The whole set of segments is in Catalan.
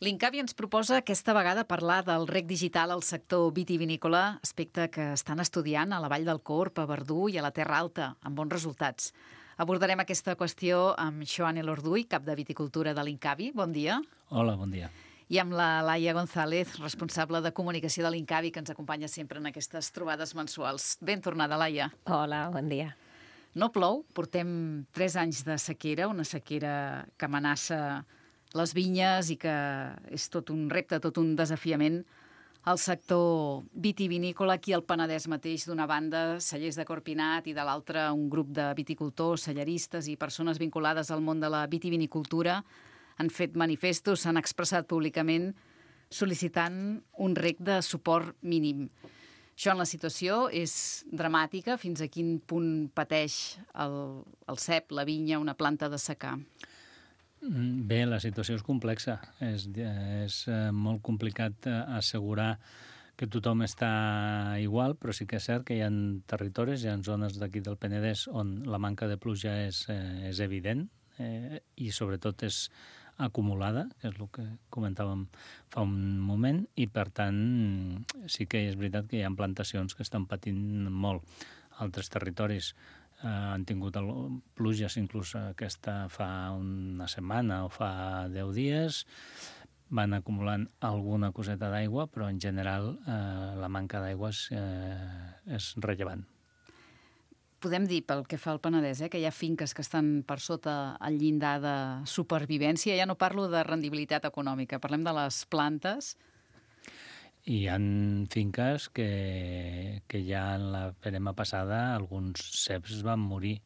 L'Incavi ens proposa aquesta vegada parlar del rec digital al sector vitivinícola, aspecte que estan estudiant a la Vall del Corb, a Verdú i a la Terra Alta, amb bons resultats. Abordarem aquesta qüestió amb Xoan Elorduy, cap de viticultura de l'Incavi. Bon dia. Hola, bon dia. I amb la Laia González, responsable de comunicació de l'Incavi, que ens acompanya sempre en aquestes trobades mensuals. Ben tornada, Laia. Hola, bon dia. No plou, portem 3 anys de sequera, una sequera que amenaça les vinyes i que és tot un repte, tot un desafiament al sector vitivinícola. Aquí al Penedès mateix, d'una banda, cellers de Corpinat i de l'altra un grup de viticultors, celleristes i persones vinculades al món de la vitivinicultura han fet manifestos, s'han expressat públicament sol·licitant un rec de suport mínim. Això en la situació és dramàtica. Fins a quin punt pateix el cep, la vinya, una planta de secà? Bé, la situació és complexa. És molt complicat assegurar que tothom està igual, però sí que és cert que hi ha territoris, hi ha zones d'aquí del Penedès on la manca de pluja és evident i sobretot és acumulada, que és el que comentàvem fa un moment, i per tant sí que és veritat que hi ha plantacions que estan patint molt. Altres territoris han tingut pluges inclús aquesta fa una setmana o fa 10 dies, van acumulant alguna coseta d'aigua, però en general la manca d'aigua és rellevant. Podem dir, pel que fa al Penedès, que hi ha finques que estan per sota el llindar de supervivència. Ja no parlo de rendibilitat econòmica, parlem de les plantes. Hi ha finques que ja en la verema passada alguns ceps van morir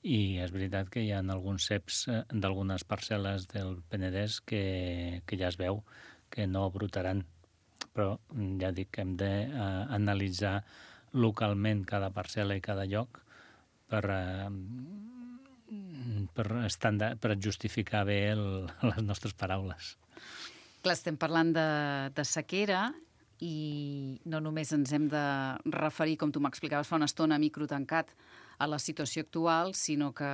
i és veritat que hi ha alguns ceps d'algunes parcel·les del Penedès que ja es veu que no brutaran, però ja dic que hem d'analitzar localment cada parcel·la i cada lloc per justificar bé les nostres paraules. Clar, estem parlant de sequera i no només ens hem de referir, com tu m'explicaves fa una estona, microtancat, a la situació actual, sinó que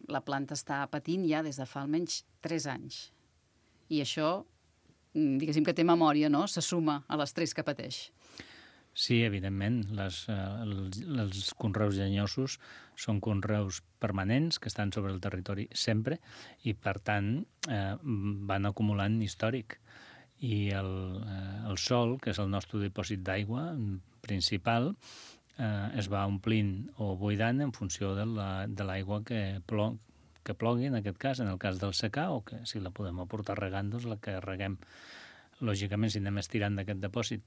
la planta està patint ja des de fa almenys 3 anys. I això, diguéssim que té memòria, no? Se suma a l'estrès que pateix. Sí, evidentment. Els conreus llenyosos són conreus permanents que estan sobre el territori sempre i, per tant, van acumulant històric. I el sòl, que és el nostre dipòsit d'aigua principal, es va omplint o buidant en funció de l'aigua que plogui, en aquest cas, en el cas del secà, o que si la podem aportar regant, doncs la que reguem. Lògicament, si anem estirant d'aquest dipòsit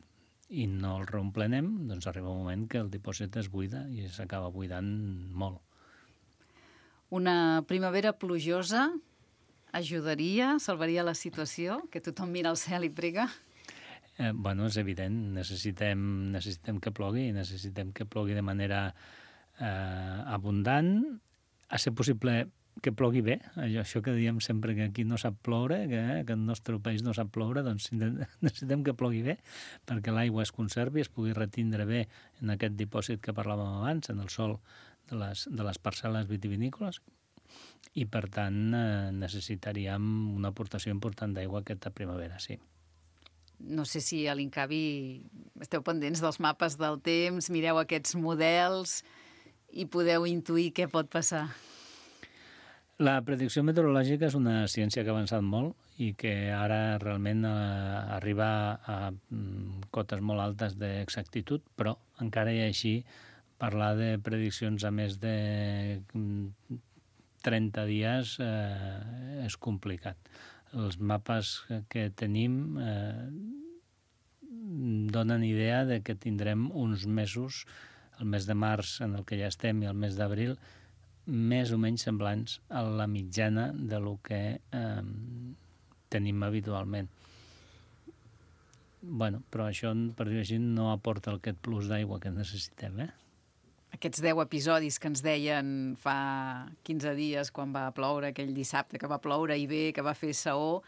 i no el reomplenem, doncs arriba un moment que el dipòsit es buida i s'acaba buidant molt. Una primavera plujosa ajudaria, salvaria la situació, que tothom mira al cel i prega? Bueno, és evident, necessitem que plogui, necessitem que plogui de manera abundant, a ser possible que plogui bé, això que diem sempre que aquí no sap ploure, que el nostre país no sap ploure, doncs necessitem que plogui bé perquè l'aigua es conservi, es pugui retindre bé en aquest dipòsit que parlàvem abans, en el sòl de les parcel·les vitivinícoles, i per tant necessitaríem una aportació important d'aigua aquesta primavera, sí. No sé si a l'Incavi esteu pendents dels mapes del temps, mireu aquests models i podeu intuir què pot passar. La predicció meteorològica és una ciència que ha avançat molt i que ara realment arriba a cotes molt altes d'exactitud, però encara i així parlar de prediccions a més de 30 dies és complicat. Els mapes que tenim donen idea de que tindrem uns mesos, el mes de març en el que ja estem i el mes d'abril, més o menys semblants a la mitjana de lo que tenim habitualment. Bueno, però això, per dir-ho així, no aporta aquest plus d'aigua que necessitem, Aquests 10 episodis que ens deien fa 15 dies quan va ploure, aquell dissabte que va ploure i bé, que va fer saó,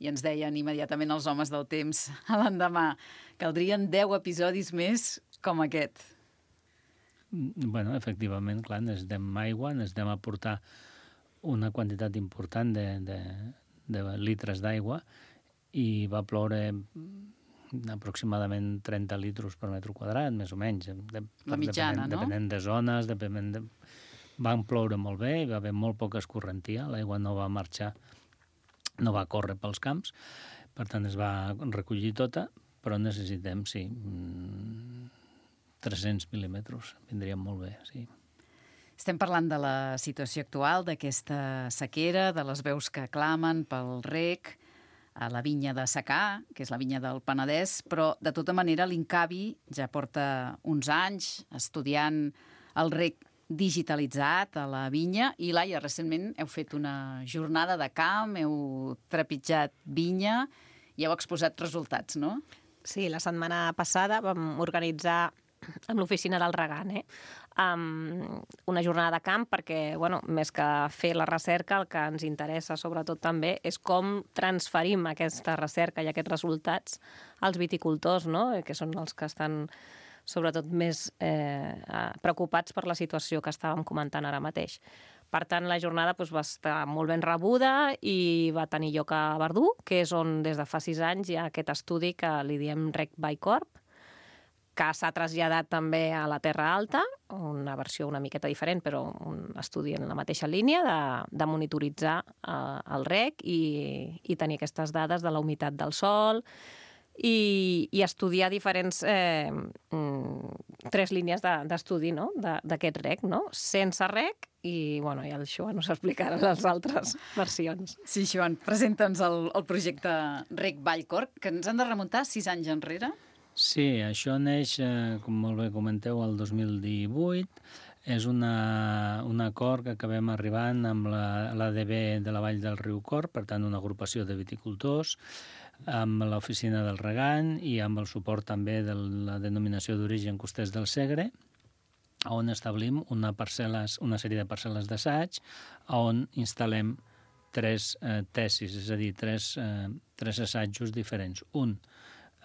i ens deien immediatament els homes del temps a l'endemà, caldrien 10 episodis més com aquest. Bueno, efectivament, clar, necessitem aigua, necessitem aportar una quantitat important de litres d'aigua i va ploure aproximadament 30 litres per metre quadrat, més o menys. La mitjana, no? Depenent de zones, van ploure molt bé, hi va haver molt poca escorrentia, l'aigua no va marxar, no va córrer pels camps, per tant es va recollir tota, però necessitem, sí, 300 mil·límetres, vindrien molt bé, sí. Estem parlant de la situació actual, d'aquesta sequera, de les veus que clamen pel reg, a la vinya de secà, que és la vinya del Penedès, però de tota manera l'Incavi ja porta uns anys estudiant el reg digitalitzat a la vinya i, Laia, recentment heu fet una jornada de camp, heu trepitjat vinya i heu exposat resultats, no? Sí, la setmana passada vam organitzar amb l'oficina del Regant, una jornada de camp perquè, bueno, més que fer la recerca, el que ens interessa sobretot també és com transferim aquesta recerca i aquests resultats als viticultors, no? Que són els que estan sobretot més preocupats per la situació que estàvem comentant ara mateix. Per tant, la jornada va estar molt ben rebuda i va tenir lloc a Verdú, que és on des de fa 6 anys hi ha aquest estudi que li diem Reg Bicorp, que s'ha traslladat també a la Terra Alta, una versió una miqueta diferent, però un estudi en la mateixa línia de monitoritzar el reg i tenir aquestes dades de la humitat del sòl i estudiar diferents 3 línies d'estudi, no? D'aquest reg, no? Sense reg i el Joan us explicarà les altres versions. Sí, Joan, presenta'ns el projecte Reg Vallcorb, que ens han de remuntar 6 anys enrere. Sí, això neix, com molt bé comenteu, el 2018. És un acord que acabem arribant amb l'ADB de la Vall del Riu Corb, per tant, una agrupació de viticultors, amb l'oficina del Regant i amb el suport també de la denominació d'origen Costers del Segre, on establim una sèrie de parcel·les d'assaig, on instal·lem 3 tesis, és a dir, 3 assajos diferents. Un,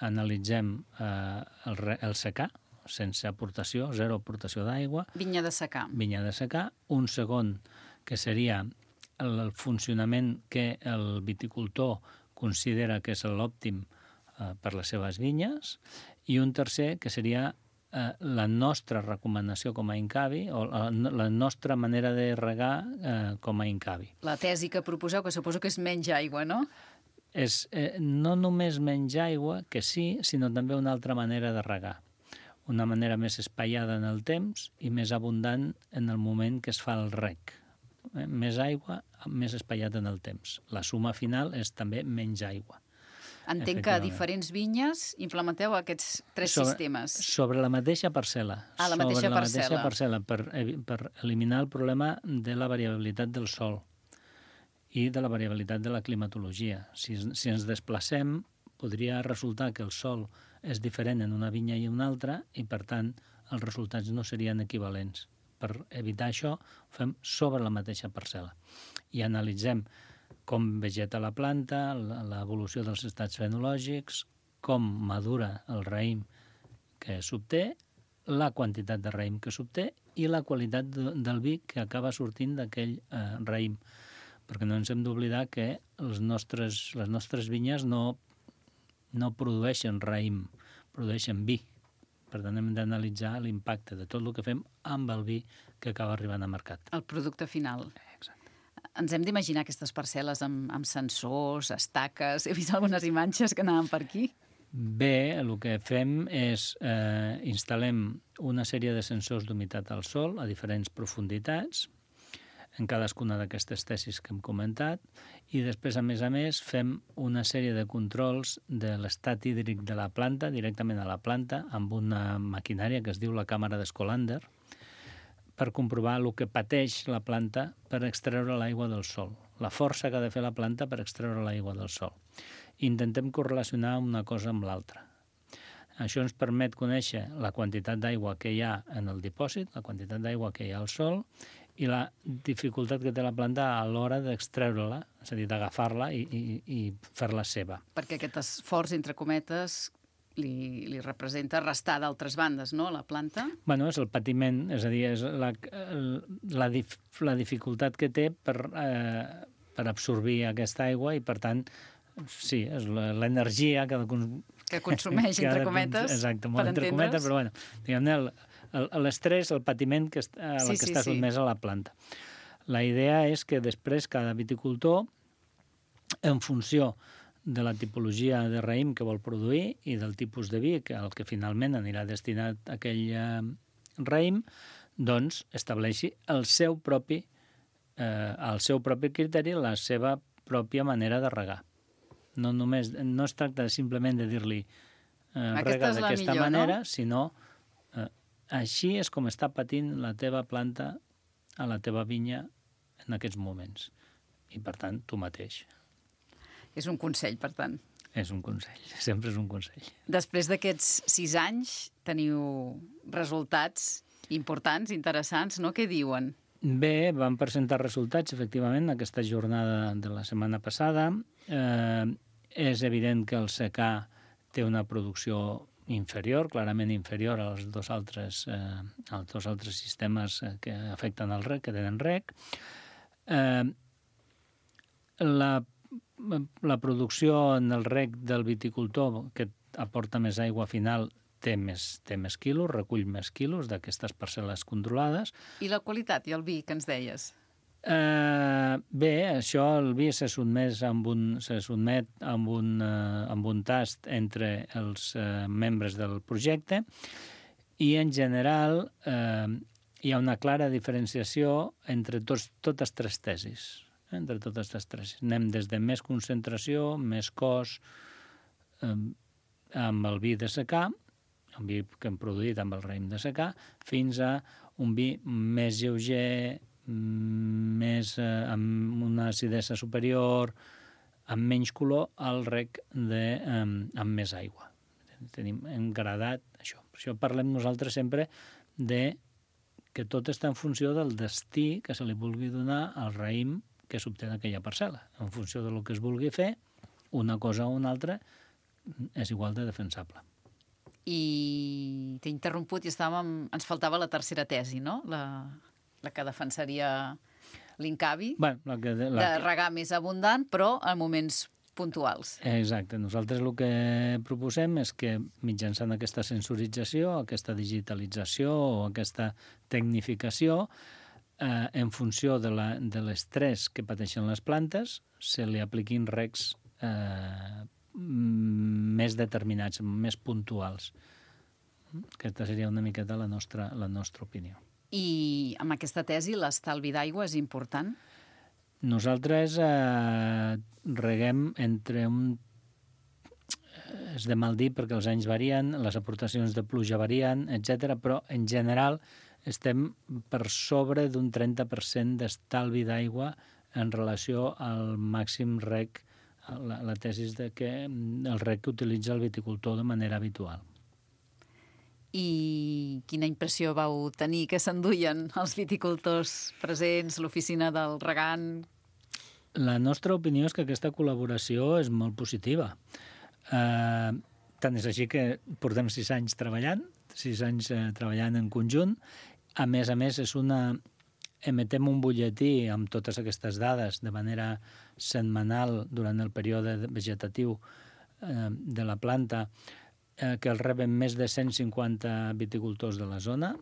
analitzem el secà, sense aportació, 0 aportació d'aigua. Vinya de secà. Vinya de secà. Un segon, que seria el funcionament que el viticultor considera que és l'òptim per les seves vinyes. I un tercer, que seria la nostra recomanació com a Incavi, o la nostra manera de regar com a Incavi. La tesi que proposeu, que suposo que és menys aigua, no? És no només menys aigua, que sí, sinó també una altra manera de regar. Una manera més espaiada en el temps i més abundant en el moment que es fa el reg. Més aigua, més espaiat en el temps. La suma final és també menys aigua. Entenc que a diferents vinyes implementeu aquests 3 sistemes. Sobre la mateixa parcel·la. La mateixa parcel·la, per eliminar el problema de la variabilitat del sòl i de la variabilitat de la climatologia. Si ens desplacem, podria resultar que el sòl és diferent en una vinya i una altra i, per tant, els resultats no serien equivalents. Per evitar això, ho fem sobre la mateixa parcel·la. I analitzem com vegeta la planta, l'evolució dels estats fenològics, com madura el raïm que s'obté, la quantitat de raïm que s'obté i la qualitat del vi que acaba sortint d'aquell raïm. Perquè no ens hem d'oblidar que les nostres vinyes no produeixen raïm, produeixen vi. Per tant, hem d'analitzar l'impacte de tot el que fem amb el vi que acaba arribant al mercat. El producte final. Exacte. Ens hem d'imaginar aquestes parcel·les amb sensors, estaques... He vist algunes imatges que anaven per aquí. Bé, el que fem és instal·lem una sèrie de sensors d'humitat al sòl a diferents profunditats, en cadascuna d'aquestes tesis que hem comentat, i després, a més, fem una sèrie de controls de l'estat hídric de la planta, directament a la planta, amb una maquinària que es diu la càmera d'Escolander, per comprovar el que pateix la planta per extreure l'aigua del sòl, la força que ha de fer la planta per extreure l'aigua del sòl. Intentem correlacionar una cosa amb l'altra. Això ens permet conèixer la quantitat d'aigua que hi ha en el dipòsit, la quantitat d'aigua que hi ha al sòl, i la dificultat que té la planta a l'hora d'extreure-la, és a dir, d'agafar-la i fer-la seva. Perquè aquest esforç, entre cometes, li representa restar d'altres bandes, no?, a la planta? Bueno, és el patiment, és a dir, és la dificultat que té per absorbir aquesta aigua i, per tant, Sí, és l'energia que consumeix, entre cometes, exacte, per molt entre cometes, entendre's. però bueno, diguem-ne, l'estrès, el patiment a la que està sotmès a la planta. La idea és que després cada viticultor, en funció de la tipologia de raïm que vol produir i del tipus de vi al que finalment anirà destinat aquell raïm, doncs estableixi el seu propi criteri, la seva pròpia manera de regar. No es tracta simplement de dir-li rega d'aquesta manera, no? Sinó així és com està patint la teva planta a la teva vinya en aquests moments. I, per tant, tu mateix. És un consell, per tant. És un consell, sempre és un consell. Després d'aquests 6 anys teniu resultats importants, interessants, no? Què diuen? Bé, vam presentar resultats, efectivament, aquesta jornada de la setmana passada. És evident que el secà té una producció inferior, clarament inferior als dos altres sistemes que afecten el rec, que tenen rec. La producció en el rec del viticultor, que aporta més aigua final, té més quilos, recull més quilos d'aquestes parcel·les controlades. I la qualitat i el vi que ens deies? Bé, això, el vi se sotmet amb un tast entre els membres del projecte i, en general, hi ha una clara diferenciació entre totes tres tesis. Anem des de més concentració, més cos, amb el vi de secà, un vi que hem produït amb el raïm de secà, fins a un vi més lleuger, amb una acidesa superior, amb menys color, al rec amb més aigua. Hem gradat això. Per això parlem nosaltres sempre de que tot està en funció del destí que se li vulgui donar al raïm que s'obté d'aquella parcel·la. En funció del que es vulgui fer, una cosa o una altra és igual de defensable. I t'he interromput i ens faltava la tercera tesi, no? La que defensaria l'Incavi, de regar més abundant, però en moments puntuals. Exacte. Nosaltres el que proposem és que mitjançant aquesta sensorització, aquesta digitalització o aquesta tecnificació, en funció de l'estrès que pateixen les plantes, se li apliquin recs més determinats, més puntuals. Aquesta seria una miqueta la nostra opinió. I amb aquesta tesi l'estalvi d'aigua és important? Nosaltres reguem entre és de mal dir perquè els anys varien, les aportacions de pluja varien, etc., però en general estem per sobre d'un 30% d'estalvi d'aigua en relació al màxim rec, la tesi de que el rec que utilitza el viticultor de manera habitual. I quina impressió vau tenir que s'enduien els viticultors presents, l'oficina del regant? La nostra opinió és que aquesta col·laboració és molt positiva. Tant és així que portem 6 anys treballant en conjunt. A més, emetem un butlletí amb totes aquestes dades de manera setmanal durant el període vegetatiu de la planta, que el reben més de 150 viticultors de la zona,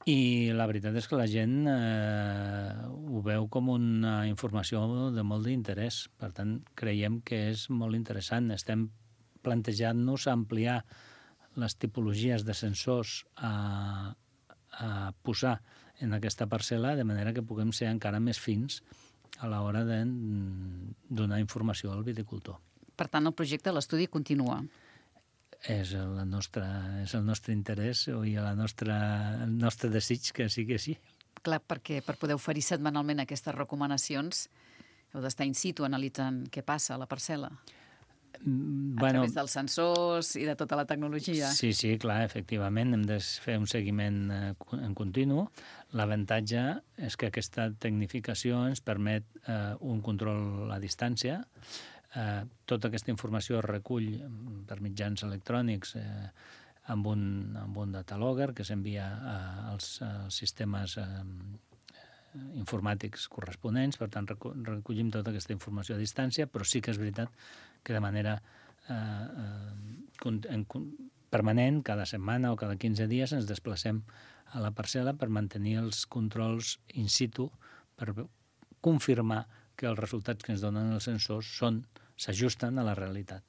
i la veritat és que la gent ho veu com una informació de molt d'interès. Per tant, creiem que és molt interessant. Estem plantejant-nos ampliar les tipologies de sensors a posar en aquesta parcel·la, de manera que puguem ser encara més fins a l'hora de donar informació al viticultor. Per tant, el projecte, l'estudi continua. És el nostre interès i el nostre desig que sigui així. Clar, perquè per poder oferir setmanalment aquestes recomanacions heu d'estar in situ analitzant què passa a la parcel·la. A través dels sensors i de tota la tecnologia. Sí, clar, efectivament, hem de fer un seguiment en continu. L'avantatge és que aquesta tecnificació ens permet un control a distància. Tota aquesta informació es recull per mitjans electrònics amb un datalogger que s'envia als sistemes informàtics corresponents, per tant recollim tota aquesta informació a distància, però sí que és veritat que de manera permanent, cada setmana o cada 15 dies, ens desplacem a la parcel·la per mantenir els controls in situ, per confirmar que els resultats que ens donen els sensors s'ajusten a la realitat.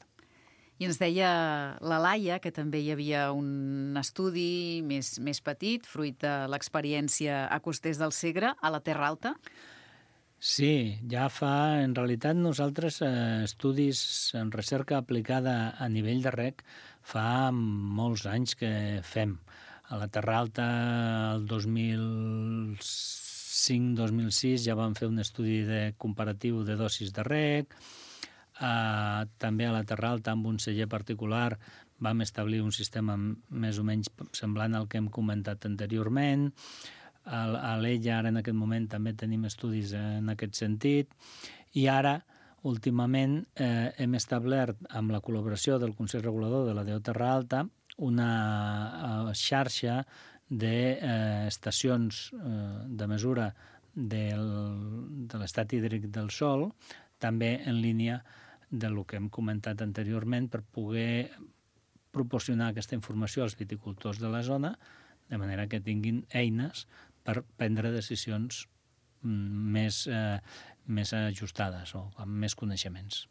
I ens deia la Laia que també hi havia un estudi més petit, fruit de l'experiència a Costers del Segre, a la Terra Alta. Sí, ja fa, en realitat, nosaltres estudis en recerca aplicada a nivell de rec fa molts anys que fem. A la Terra Alta, el 2005-2006, ja vam fer un estudi comparatiu de dosis de rec. També a la Terra Alta, amb un celler particular, vam establir un sistema més o menys semblant al que hem comentat anteriorment. A l'Ella, ara en aquest moment, també tenim estudis en aquest sentit. I ara, últimament, hem establert, amb la col·laboració del Consell Regulador de la DO Terra Alta, una xarxa d'estacions de mesura de l'estat hídric del sòl, també en línia del que hem comentat anteriorment, per poder proporcionar aquesta informació als viticultors de la zona, de manera que tinguin eines per prendre decisions més ajustades o amb més coneixements.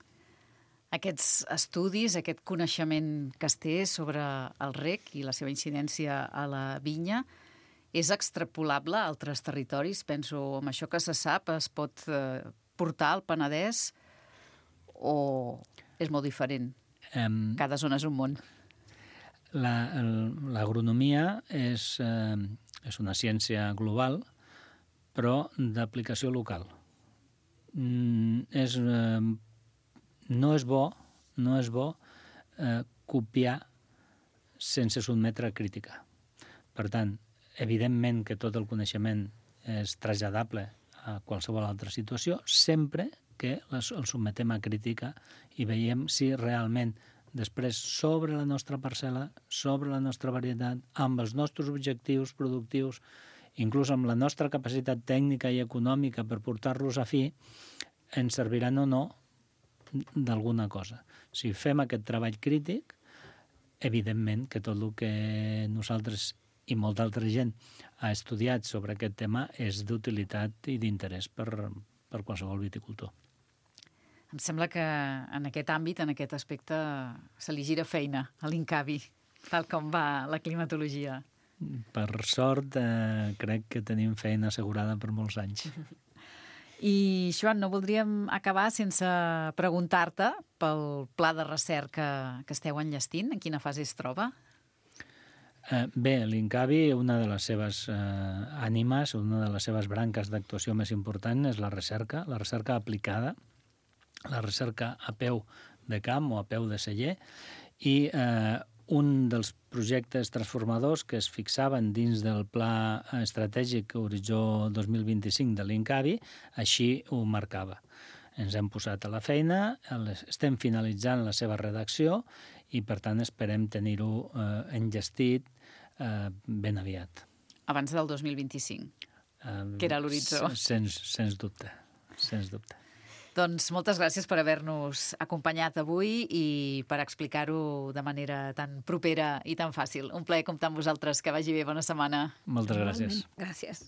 Aquests estudis, aquest coneixement que es té sobre el rec i la seva incidència a la vinya, és extrapolable a altres territoris? Penso, amb això que se sap, es pot portar al Penedès o és molt diferent? Cada zona és un món. L'agronomia és una ciència global, però d'aplicació local. No és bo copiar sense sotmetre a crítica. Per tant, evidentment que tot el coneixement és traslladable a qualsevol altra situació, sempre que el sotmetem a crítica i veiem si realment després sobre la nostra parcel·la, sobre la nostra varietat, amb els nostres objectius productius, inclús amb la nostra capacitat tècnica i econòmica per portar-los a fi, ens serviran o no d'alguna cosa. Si fem aquest treball crític, evidentment que tot el que nosaltres i molta altra gent ha estudiat sobre aquest tema és d'utilitat i d'interès per qualsevol viticultor. Em sembla que en aquest àmbit, en aquest aspecte, se li gira feina a l'Incavi, tal com va la climatologia. Per sort, crec que tenim feina assegurada per molts anys. I, Joan, no voldríem acabar sense preguntar-te pel pla de recerca que esteu enllestint, en quina fase es troba? Bé, l'Incavi, una de les seves ànimes, una de les seves branques d'actuació més important és la recerca aplicada, la recerca a peu de camp o a peu de celler, i un dels projectes transformadors que es fixaven dins del Pla Estratègic Horitzó 2025 de l'Incavi, així ho marcava. Ens hem posat a la feina, estem finalitzant la seva redacció i, per tant, esperem tenir-ho enllestit ben aviat. Abans del 2025, que era l'horitzó. Sens dubte, sens dubte. Doncs moltes gràcies per haver-nos acompanyat avui i per explicar-ho de manera tan propera i tan fàcil. Un plaer comptar amb vosaltres. Que vagi bé, bona setmana. Moltes gràcies. Gràcies.